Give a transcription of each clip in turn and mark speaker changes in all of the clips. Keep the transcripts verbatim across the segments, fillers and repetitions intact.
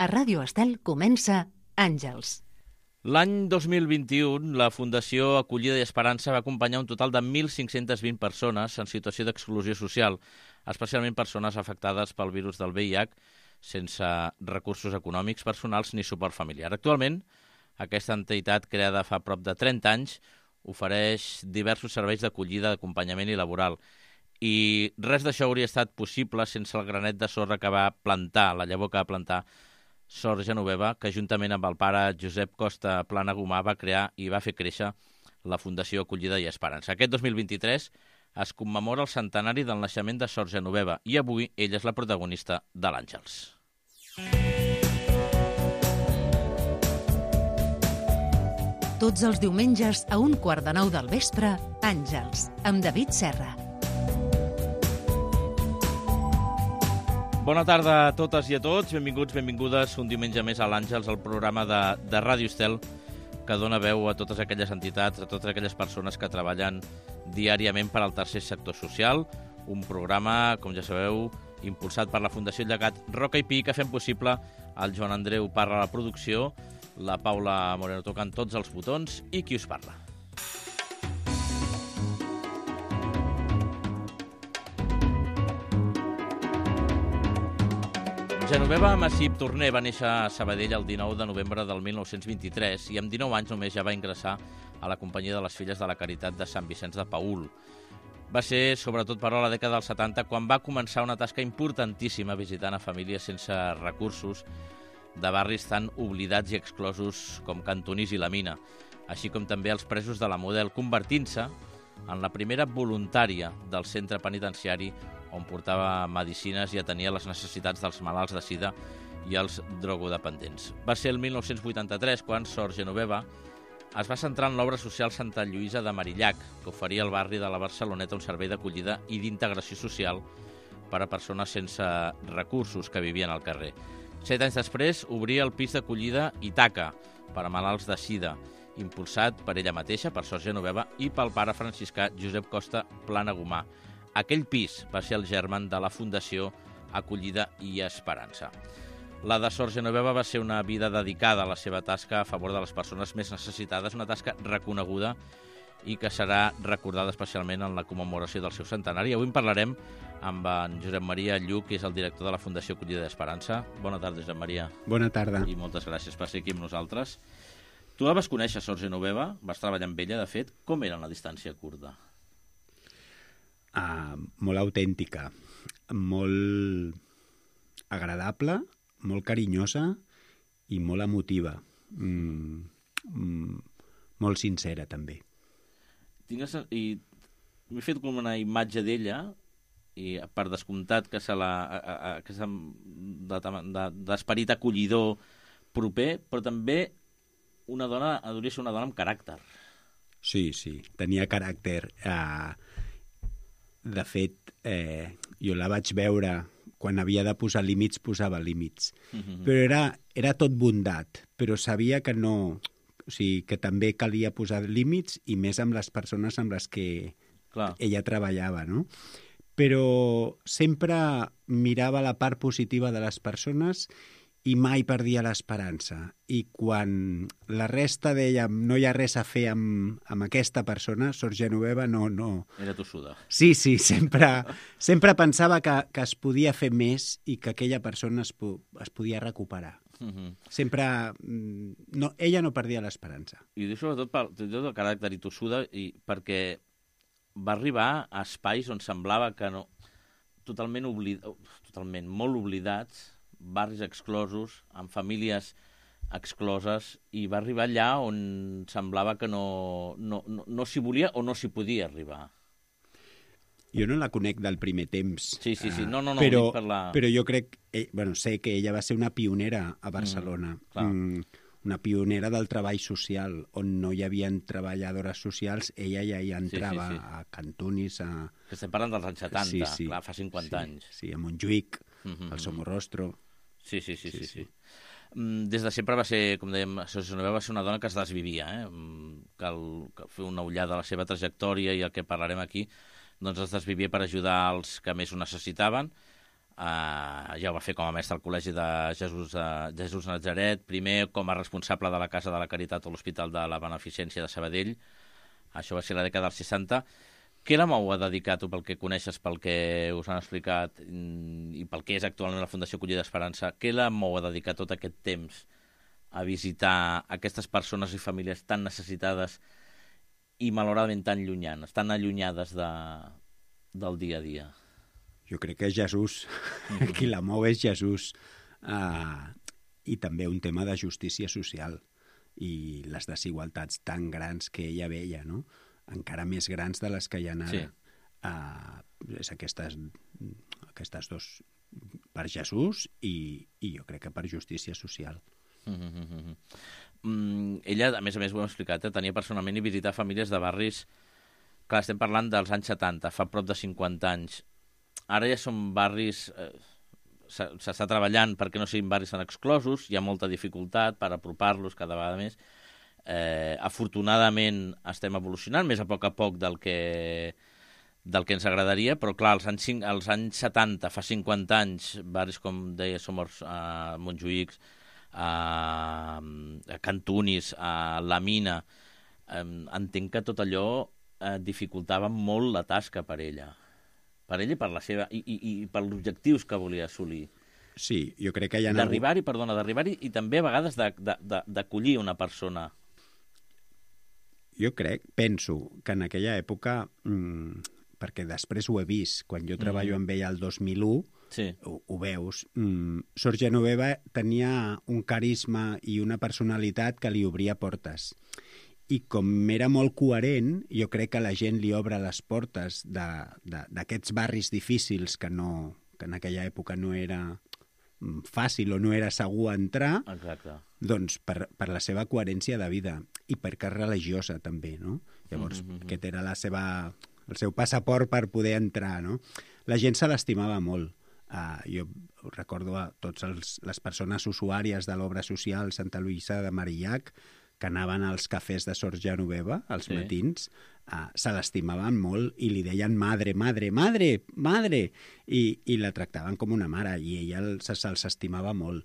Speaker 1: A Ràdio Estel comença Àngels.
Speaker 2: L'any dos mil vint-i-u, la Fundació Acollida i Esperança va acompanyar un total de mil cinc-cents vint persones en situació d'exclusió social, especialment persones afectades pel virus del V I H, sense recursos econòmics, personals ni suport familiar. Actualment, aquesta entitat, creada fa prop de trenta anys, ofereix diversos serveis d'acollida, d'acompanyament i laboral. I res d'això hauria estat possible sense el granet de sorra que va plantar, la llavor que va plantar Sor Genoveva, que juntament amb el pare Josep Costa Planagumà va crear i va fer créixer la Fundació Acollida i Esperança. Aquest dos mil vint-i-tres es commemora el centenari del naixement de Sor Genoveva i avui ella és la protagonista de l'Àngels.
Speaker 1: Tots els diumenges a un quart de nou del vespre, Àngels, amb David Serra.
Speaker 2: Bona tarda a totes i a tots, benvinguts, benvingudes un diumenge més a l'Àngels, el programa de, de Ràdio Estel, que dona veu a totes aquelles entitats, a totes aquelles persones que treballen diàriament per al tercer sector social, un programa, com ja sabeu, impulsat per la Fundació Llegat Roca i Pi, que fem possible el Joan Andreu Parra a la producció, la Paula Moreno tocant tots els botons i qui us parla. Genoveva Massip Torner va néixer a Sabadell el dinou de novembre del mil nou-cents vint-i-tres i amb dinou anys només ja va ingressar a la companyia de les Filles de la Caritat de Sant Vicenç de Paül. Va ser, sobretot, però, a la dècada dels setanta, quan va començar una tasca importantíssima visitant a famílies sense recursos de barris tan oblidats i exclosos com Cantonís i la Mina, així com també els presos de la Model, convertint-se en la primera voluntària del centre penitenciari on portava medicines i atenia les necessitats dels malalts de sida i els drogodependents. Va ser el mil nou-cents vuitanta-tres quan Sor Genoveva es va centrar en l'obra social Santa Lluïsa de Marillac, que oferia al barri de la Barceloneta un servei d'acollida i d'integració social per a persones sense recursos que vivien al carrer. Set anys després obria el pis d'acollida Itaca per a malalts de sida, impulsat per ella mateixa, per Sor Genoveva, i pel pare franciscà Josep Costa Planagumà. Aquell pis va ser el germen de la Fundació Acollida i Esperança. La de Sor Genoveva va ser una vida dedicada a la seva tasca a favor de les persones més necessitades, una tasca reconeguda i que serà recordada especialment en la commemoració del seu centenari. Avui en parlarem amb en Josep Maria Lluc, que és el director de la Fundació Acollida i Esperança. Bona tarda, Josep Maria.
Speaker 3: Bona tarda.
Speaker 2: I moltes gràcies per ser aquí amb nosaltres. Tu la vas conèixer, Sor Genoveva, vas treballar amb ella, de fet. Com era en la distància curta?
Speaker 3: Uh, molt autèntica, molt agradable, molt carinyosa i molt emotiva. Mm, mm, molt sincera, també.
Speaker 2: Tingues, i m'he fet com una imatge d'ella, i per descomptat que se la, a, a, que se, d'esperit acollidor proper, però també una dona, hauria de ser una dona amb caràcter.
Speaker 3: Sí, sí, tenia caràcter. Uh, de fet, eh, jo la vaig veure quan havia de posar límits, posava límits. Mm-hmm. Però era, era tot bondat, però sabia que no... O sigui, que també calia posar límits i més amb les persones amb les que Clar. ella treballava, no? Però sempre mirava la part positiva de les persones i mai perdia l'esperança. I quan la resta deia no hi ha res a fer amb, amb aquesta persona, Sor Genoveva no... no...
Speaker 2: Era tossuda.
Speaker 3: Sí, sí, sempre, sempre pensava que, que es podia fer més i que aquella persona es, po es podia recuperar. Uh-huh. Sempre... No, ella no perdia l'esperança.
Speaker 2: I sobretot per el caràcter i tossuda, i perquè va arribar a espais on semblava que no... Totalment, oblid... totalment molt oblidats, barris exclosos, amb famílies excloses, i va arribar allà on semblava que no, no, no, no s'hi volia o no s'hi podia arribar.
Speaker 3: Jo no la conec del primer temps.
Speaker 2: Sí, sí, sí. No, no, no,
Speaker 3: però,
Speaker 2: per la...
Speaker 3: però jo crec, eh, bueno, sé que ella va ser una pionera a Barcelona. Mm, mm, una pionera del treball social, on no hi havia treballadores socials, ella ja hi entrava, sí, sí, sí. a Cantonís, a...
Speaker 2: Que estem parlant dels anys setanta, sí, sí. Clar, fa cinquanta
Speaker 3: sí,
Speaker 2: anys.
Speaker 3: Sí, a Montjuïc,
Speaker 2: mm-hmm.
Speaker 3: al Somorrostro.
Speaker 2: Sí, sí, sí, sí, sí. sí. Des de sempre va ser, com dèiem, Sor Genoveva va ser una dona que es desvivia, eh? Cal, cal fer una ullada a la seva trajectòria i el que parlarem aquí, doncs es desvivia per ajudar els que més ho necessitaven. Uh, ja ho va fer com a mestre al Col·legi de Jesús, uh, Jesús Natzaret, primer com a responsable de la Casa de la Caritat a l'Hospital de la Beneficència de Sabadell. Això va ser la dècada dels seixanta. Què la mou a dedicar, tu, pel que coneixes, pel que us han explicat i pel que és actualment la Fundació Acollida Esperança, què la mou a dedicar tot aquest temps a visitar aquestes persones i famílies tan necessitades i malauradament tan llunyanes, tan allunyades de, del dia a dia?
Speaker 3: Jo crec que és Jesús, mm-hmm. qui la mou és Jesús. Uh, I també un tema de justícia social i les desigualtats tan grans que ella veia, no? Encara més grans de les que hi ha ara. Sí. Uh, és aquestes, aquestes dos, per Jesús i, i jo crec que per justícia social.
Speaker 2: Mm-hmm. Mm, ella, a més a més, ho hem explicat, eh? Tenia personalment i visitar famílies de barris. Clar, estem parlant dels anys setanta, fa prop de cinquanta anys. Ara ja són barris... Eh, s'està treballant perquè no siguin barris tan exclosos, hi ha molta dificultat per apropar-los cada vegada més. Eh, afortunadament estem evolucionant més a poc a poc del que, del que ens agradaria, però clar, als anys, als anys setanta, fa cinquanta anys, barris com deia Somors, a Montjuïc, a, a Cantunis, a La Mina, eh, entenc que tot allò eh, dificultava molt la tasca per ella. Per ell i per la seva i, i, i per els objectius que volia assolir.
Speaker 3: Sí, jo crec que hi ha...
Speaker 2: D'arribar-hi, algú... perdona, d'arribar-hi i també a vegades d'acollir una persona.
Speaker 3: Jo crec, penso, que en aquella època, mmm, perquè després ho he vist, quan jo treballo mm. amb ella el dos mil u, sí. ho, ho veus, mmm, Sor Genoveva tenia un carisma i una personalitat que li obria portes. I com era molt coherent, jo crec que la gent li obre les portes d'aquests barris difícils que, no, que en aquella època no era fàcil o no era segur entrar.
Speaker 2: Exacte.
Speaker 3: Doncs per, per la seva coherència de vida i perquè és religiosa també, no? Llavors, mm-hmm. aquest era la seva, el seu passaport per poder entrar, no? La gent se l'estimava molt. Uh, jo recordo a totes les persones usuàries de l'obra social Santa Luïsa de Marillac que anaven als cafès de Sor Genoveva, als sí. matins, uh, se l'estimaven molt i li deien madre, madre, madre, madre, i, i la tractaven com una mare, i ella se, se'ls estimava molt.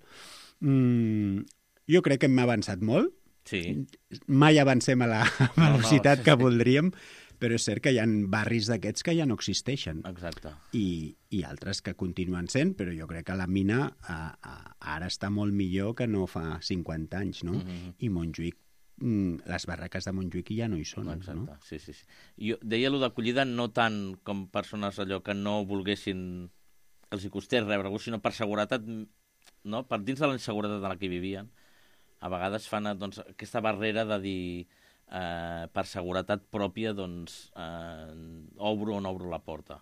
Speaker 3: Mm, jo crec que hem avançat molt.
Speaker 2: Sí.
Speaker 3: Mai avancem a la velocitat no, no. que voldríem, però és cert que hi ha barris d'aquests que ja no existeixen.
Speaker 2: Exacte.
Speaker 3: I, i altres que continuen sent, però jo crec que la Mina a, a, ara està molt millor que no fa cinquanta anys, no? Mm-hmm. I Montjuïc, les barraques de Montjuïc ja no hi són.
Speaker 2: Exacte,
Speaker 3: no?
Speaker 2: sí, sí, sí. Jo deia allò d'acollida no tant com persones allò que no volguessin, que els hi costés rebre-ho, sinó per seguretat, no? Per dins de la inseguretat en la que vivien, a vegades fan doncs, aquesta barrera de dir eh, per seguretat pròpia doncs eh, obro o no obro la porta.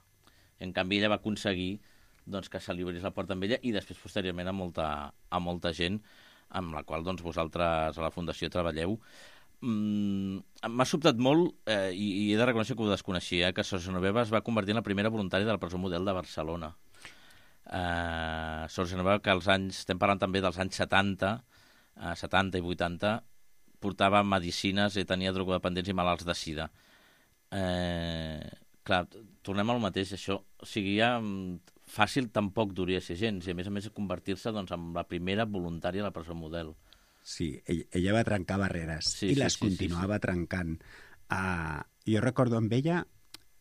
Speaker 2: En canvi, ella va aconseguir doncs, que se li obrís la porta amb ella i després, posteriorment, a molta, a molta gent amb la qual doncs, vosaltres a la Fundació treballeu. Mm, m'ha sobtat molt, eh, i, i he de reconèixer que ho desconeixia, que Sor Genoveva es va convertir en la primera voluntària de la presó model de Barcelona. Eh, Sor Genoveva, que als anys, estem parlant també dels anys setanta, eh, setanta i vuitanta, portava medicines i tenia drogodependents i malalts de sida. Eh, clar, tornem al mateix, això. O sigui, ja fàcil tampoc duria ser gens, i a més a més convertir-se doncs, en la primera voluntària de la presó model.
Speaker 3: Sí, ella, ella va trencar barreres sí, i les sí, sí, continuava sí, sí. trencant. Uh, jo recordo amb ella,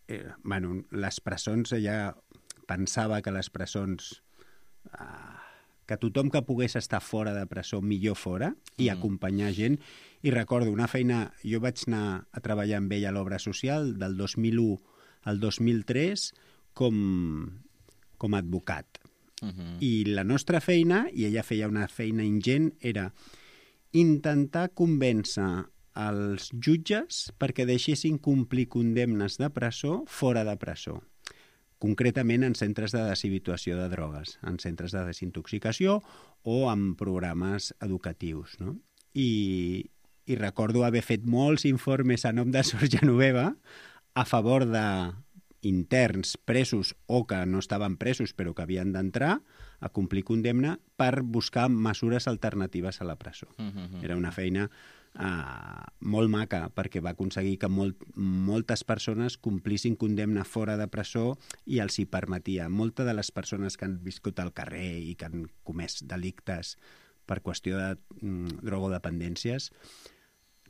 Speaker 3: eh, bueno, les presons, ella pensava que les presons, uh, que tothom que pogués estar fora de presó millor fora i mm. acompanyar gent. I recordo una feina, jo vaig anar a treballar amb ella a l'obra social del dos mil u al dos mil tres com... com a advocat. Uh-huh. I la nostra feina, i ella feia una feina ingent, era intentar convèncer els jutges perquè deixessin complir condemnes de presó fora de presó. Concretament en centres de deshabituació de drogues, en centres de desintoxicació o en programes educatius. No? I, i recordo haver fet molts informes a nom de Sor Genoveva a favor de interns presos o que no estaven presos però que havien d'entrar a complir condemna per buscar mesures alternatives a la presó. Uh-huh. Era una feina uh, molt maca, perquè va aconseguir que molt, moltes persones complissin condemna fora de presó i els hi permetia. Moltes de les persones que han viscut al carrer i que han comès delictes per qüestió de mm, drogodependències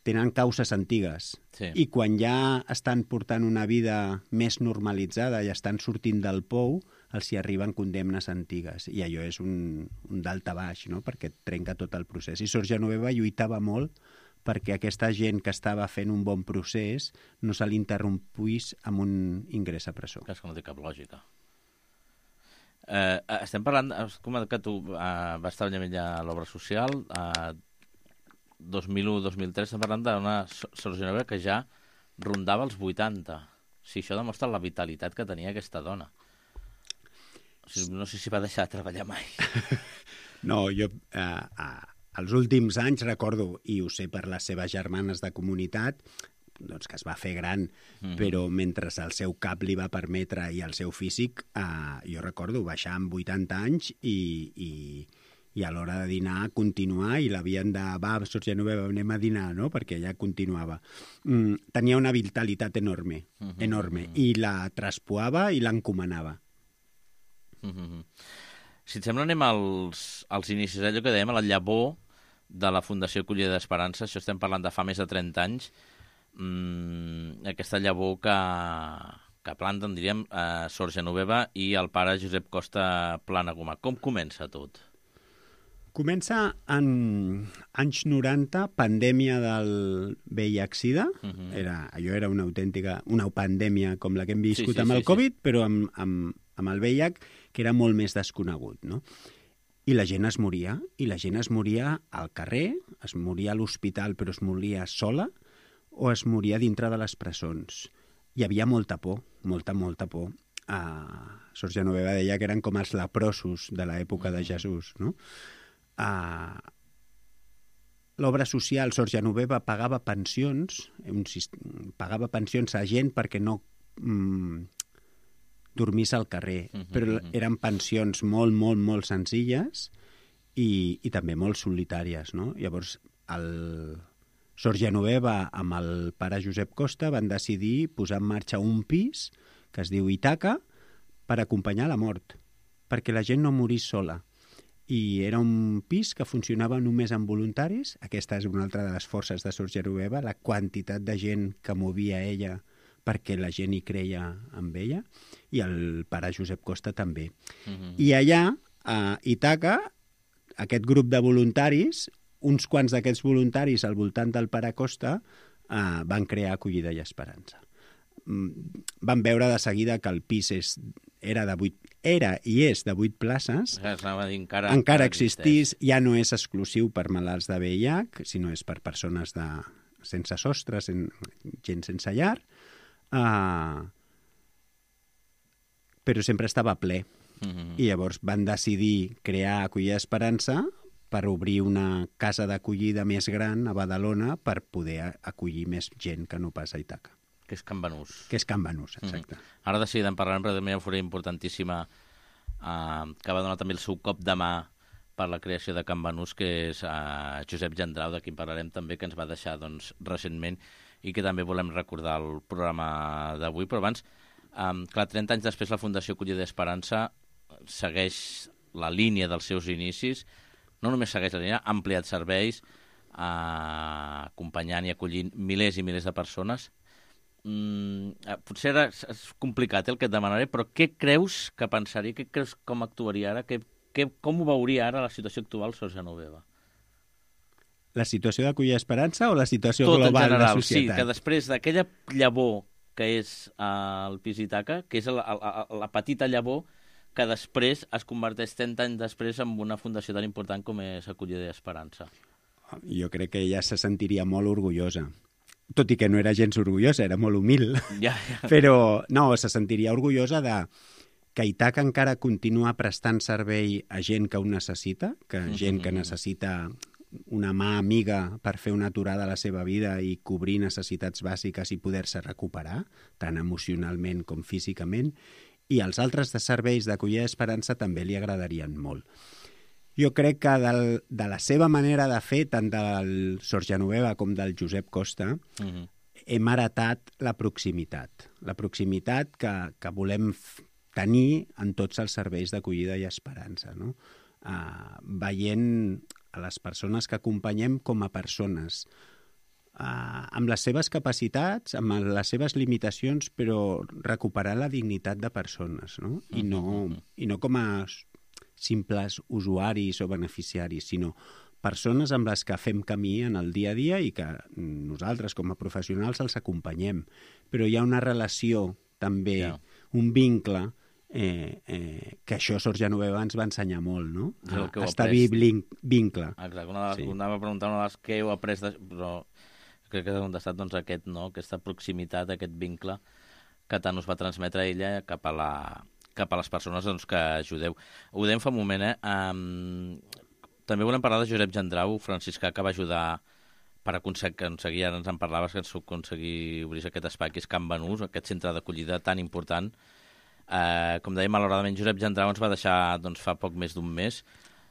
Speaker 3: tenen causes antigues.
Speaker 2: Sí.
Speaker 3: I quan ja estan portant una vida més normalitzada i estan sortint del pou, els hi arriben condemnes antigues. I allò és un, un dalt a baix, no? Perquè et trenca tot el procés. I Sor Genoveva lluitava molt perquè aquesta gent que estava fent un bon procés no se l'interrompuís amb un ingrés a presó.
Speaker 2: És que no té cap lògica. Eh, estem parlant, has comentat que tu eh, vas treballar ja a l'obra social, eh, dos mil u dos mil tres, estem parlant d'una Sor Genoveva que ja rondava els vuitanta. O sigui, això demostra la vitalitat que tenia aquesta dona. O sigui, no sé si va deixar de treballar mai.
Speaker 3: No, jo eh, eh, els últims anys recordo, i ho sé per les seves germanes de comunitat, doncs que es va fer gran, mm-hmm. però mentre el seu cap li va permetre i el seu físic, eh, jo recordo baixar amb vuitanta anys i, i, i a l'hora de dinar continuar, i l'havien de, va, Sor Genoveva, anem a dinar, no?, perquè ja continuava. Mm, tenia una vitalitat enorme, mm-hmm. enorme, i la traspoava i l'encomanava.
Speaker 2: Mm-hmm. Si et sembla, anem als, als inicis, allò que dèiem, a la llavor de la Fundació Acollida d'Esperança. Això estem parlant de fa més de trenta anys. Mm, aquesta llavor que, que planten, diríem, eh, Sor Genoveva i el pare Josep Costa Planagumà. Com comença tot?
Speaker 3: Comença en anys noranta, pandèmia del V I H SIDA. Uh-huh. Era, allò era una autèntica, una pandèmia com la que hem viscut sí, sí, amb el sí, Covid, sí. però amb, amb, amb el V I H, que era molt més desconegut, no? I la gent es moria, i la gent es moria al carrer, es moria a l'hospital, però es moria sola, o es moria dintre de les presons. Hi havia molta por, molta, molta por. Uh, Sor Genoveva deia que eren com els leprosos de l'època de Jesús, no? Uh, L'obra social, Sor Genoveva pagava pensions, un, pagava pensions a gent perquè no mm, dormís al carrer, uh-huh, però uh-huh. eren pensions molt, molt, molt senzilles i, i també molt solitàries, no? Llavors, el Sor Genoveva amb el pare Josep Costa van decidir posar en marxa un pis que es diu Ítaca per acompanyar la mort, perquè la gent no morís sola. I era un pis que funcionava només amb voluntaris. Aquesta és una altra de les forces de Sor Genoveva, la quantitat de gent que movia ella perquè la gent hi creia amb ella, i el pare Josep Costa també. Uh-huh. I allà, a Ítaca, aquest grup de voluntaris, uns quants d'aquests voluntaris al voltant del pare Costa, eh, van crear Acollida i Esperança. Van veure de seguida que el pis és, era de vuit, era i és de vuit places,
Speaker 2: encara, encara,
Speaker 3: encara existís, ja no és exclusiu per malalts de V I H, sinó és per persones de, sense sostre, sen, gent sense llar, uh, però sempre estava ple. Mm-hmm. I llavors van decidir crear Acollida Esperança per obrir una casa d'acollida més gran a Badalona per poder acollir més gent que no pas a Ítaca.
Speaker 2: Que és Can Banús.
Speaker 3: Que és Can Banús, exacte.
Speaker 2: Mm-hmm. Ara de seguida en parlarem, però també hi ha una fura importantíssima eh, que va donar també el seu cop de mà per la creació de Can Banús, que és eh, Josep Gendrau, de qui en parlarem també, que ens va deixar doncs, recentment i que també volem recordar el programa d'avui. Però abans, eh, clar, trenta anys després la Fundació Acollida d'Esperança segueix la línia dels seus inicis, no només segueix la línia, ha ampliat serveis, eh, acompanyant i acollint milers i milers de persones. Mm, potser era, és complicat el que et demanaré, però què creus que pensaria, què creus com actuaria ara, què, què, com ho veuria ara la situació actual Sor Genoveva?
Speaker 3: La situació d'Acollida Esperança o la situació
Speaker 2: tot
Speaker 3: global
Speaker 2: general,
Speaker 3: de la societat?
Speaker 2: Sí, que després d'aquella llavor que és uh, el pis Ítaca, que és la, la, la petita llavor que després es converteix trenta anys després en una fundació tan important com és Acollida Esperança.
Speaker 3: Jo crec que ella se sentiria molt orgullosa. Tot i que no era gens orgullosa, era molt humil.
Speaker 2: Ja, ja.
Speaker 3: Però no, se sentiria orgullosa de que Ítaca encara continua prestant servei a gent que ho necessita, que gent que necessita una mà amiga per fer una aturada a la seva vida i cobrir necessitats bàsiques i poder-se recuperar, tant emocionalment com físicament, i els altres de serveis d'Acollida Esperança també li agradarien molt. jo crec que del, de la seva manera de fer, tant del Sor Genoveva com del Josep Costa, uh-huh. hem heretat la proximitat. La proximitat que, que volem tenir en tots els serveis d'acollida i esperança, no? Uh, veient a les persones que acompanyem com a persones, uh, amb les seves capacitats, amb les seves limitacions, però recuperar la dignitat de persones, no? I no, i no com a simples usuaris o beneficiaris, sinó persones amb les que fem camí en el dia a dia i que nosaltres, com a professionals, els acompanyem. Però hi ha una relació, també, yeah. un vincle, Eh, eh, que això Sor Genoveva ens va ensenyar molt, no? A establir vincle.
Speaker 2: Exacte, una de les, sí. anava a preguntar una de les que heu après, de, però crec que has contestat doncs, aquest, no? Aquesta proximitat, aquest vincle que tant us va transmetre ella cap a, la, cap a les persones doncs, que ajudeu. Ho dèiem fa un moment, eh? Um, també volem parlar de Josep Gendrau, franciscà, que va ajudar per aconseguir, ara ens en parlaves, que ens aconseguir obrir aquest espai que és Can Banús, aquest centre d'acollida tan important. Uh, com dèiem, malauradament, Josep Gendrau ens va deixar doncs, fa poc més d'un mes.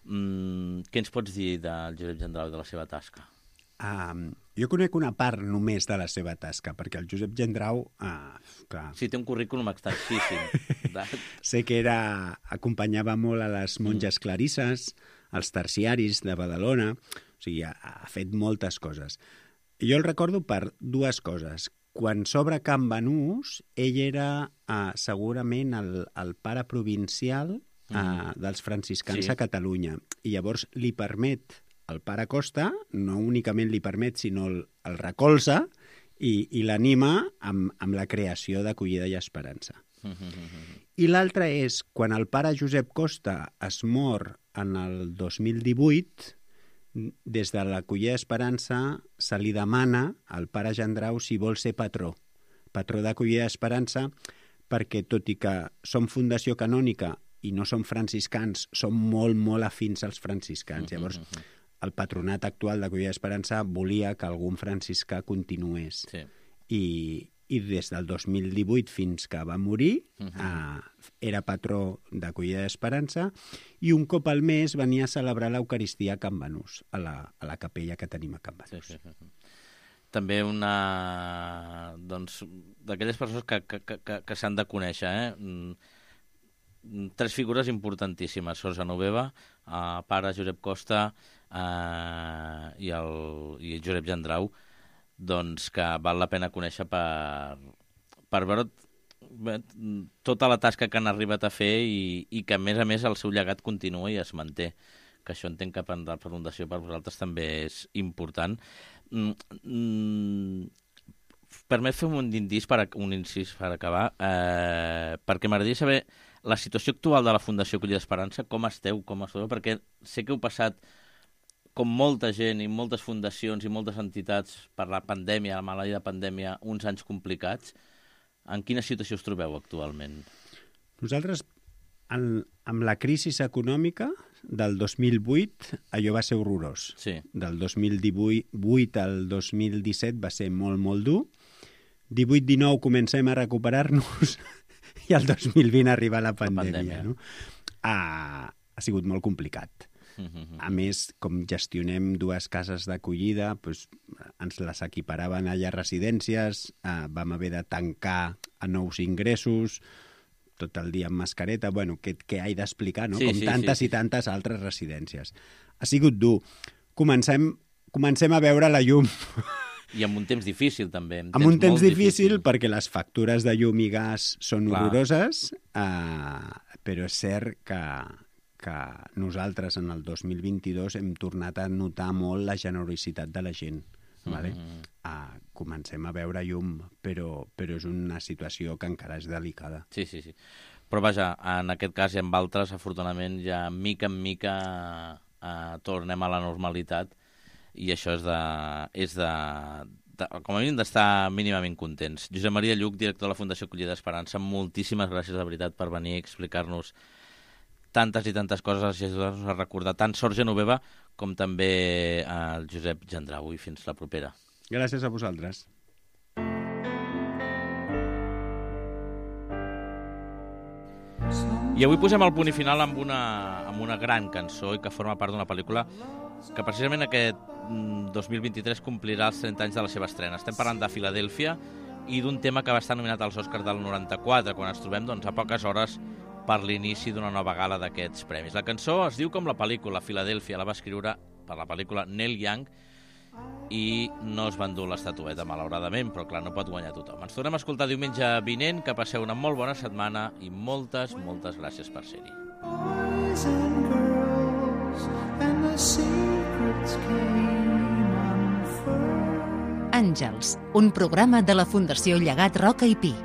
Speaker 2: Mm, què ens pots dir del Josep Gendrau i de la seva tasca?
Speaker 3: Um, jo conec una part només de la seva tasca, perquè el Josep Gendrau... Uh, clar...
Speaker 2: Sí, té un currículum extensíssim.
Speaker 3: Sé que era, acompanyava molt a les monges mm. clarisses, als terciaris de Badalona, o sigui, ha, ha fet moltes coses. Jo el recordo per dues coses. Quan s'obre Can Banús, ell era uh, segurament el, el pare provincial uh, mm. dels franciscans sí. a Catalunya. I llavors li permet, el pare Costa, no únicament li permet, sinó el, el recolza i, i l'anima amb, amb la creació d'Acollida i Esperança. Mm-hmm. I l'altre és, quan el pare Josep Costa es mor en el dos mil divuit... des de l'Acollida Esperança se li demana al pare Gendrau si vol ser patró, patró d'Acollida Esperança, perquè tot i que som fundació canònica i no som franciscans, som molt, molt afins als franciscans. Llavors, el patronat actual d'Acollida Esperança volia que algun franciscà continués. Sí. I, i des del dos mil divuit fins que va morir, uh-huh. eh, era patró d'Acollida d'Esperança, i un cop al mes venia a celebrar l'Eucaristia a Can Banús, a la, a la capella que tenim a Can Banús. Sí, sí, sí.
Speaker 2: També una... doncs, d'aquelles persones que, que, que, que s'han de conèixer, eh? Tres figures importantíssimes, Sor Genoveva, eh, pare Josep Costa eh, i, el, i el Josep Gendrau, doncs que val la pena conèixer per, per veure tota la tasca que han arribat a fer i, i que, a més a més, el seu llegat continua i es manté. Que això entenc que per la fundació per vosaltres també és important. Mm, mm, permet fer un incís per, un incís per acabar, eh, perquè m'agradaria saber la situació actual de la Fundació Acollida Esperança, com esteu, com esteu, perquè sé que heu passat com molta gent i moltes fundacions i moltes entitats per la pandèmia, la maleïda pandèmia, uns anys complicats. En quina situació us trobeu actualment?
Speaker 3: Nosaltres, en, amb la crisi econòmica del dos mil vuit, allò va ser horrorós. Sí. Del dos mil divuit al dos mil disset va ser molt, molt dur. divuit dinou comencem a recuperar-nos i el dos mil vint arriba la pandèmia. La pandèmia. No? Ha, ha sigut molt complicat. A més, com gestionem dues cases d'acollida, doncs, ens les equiparaven allà a residències, eh, vam haver de tancar a nous ingressos, tot el dia amb mascareta, bueno, què, què he d'explicar, no? Sí, com sí, tantes sí, sí. i tantes altres residències. Ha sigut dur. Comencem, comencem a veure la llum.
Speaker 2: I amb un temps difícil, també.
Speaker 3: Amb un temps difícil, difícil, perquè les factures de llum i gas són Clar. horroroses, eh, però és cert que... que nosaltres en el dos mil vint-i-dos hem tornat a notar molt la generositat de la gent. Vale? Mm-hmm. Uh, comencem a veure llum, però, però és una situació que encara és delicada.
Speaker 2: Sí, sí, sí. Però vaja, en aquest cas i en altres, afortunadament, ja mica en mica uh, tornem a la normalitat i això és de... És de, de com a mínim d'estar mínimament contents. Josep Maria Lluch, director de la Fundació Acollida Esperança, moltíssimes gràcies de veritat per venir a explicar-nos tantes i tantes coses i ajudar-nos a recordar tant Sor Genoveva com també el Josep Gendrau. I fins la propera.
Speaker 3: Gràcies a vosaltres.
Speaker 2: I avui posem el punt i final amb una, amb una gran cançó i que forma part d'una pel·lícula que precisament aquest dos mil vint-i-tres complirà els trenta anys de la seva estrena. Estem parlant de Filadèlfia i d'un tema que va estar nominat als Oscars del noranta-quatre, quan ens trobem doncs, a poques hores per l'inici d'una nova gala d'aquests premis. La cançó es diu com la pel·lícula, Filadèlfia, la va escriure per la pel·lícula Neil Young i no es va endur l'estatueta, malauradament, però clar, no pot guanyar tothom. Ens tornem a escoltar diumenge vinent, que passeu una molt bona setmana i moltes, moltes gràcies per ser-hi. Boys and girls and the secrets came unfurled.
Speaker 1: Àngels, un programa de la Fundació Llegat Roca i Pi.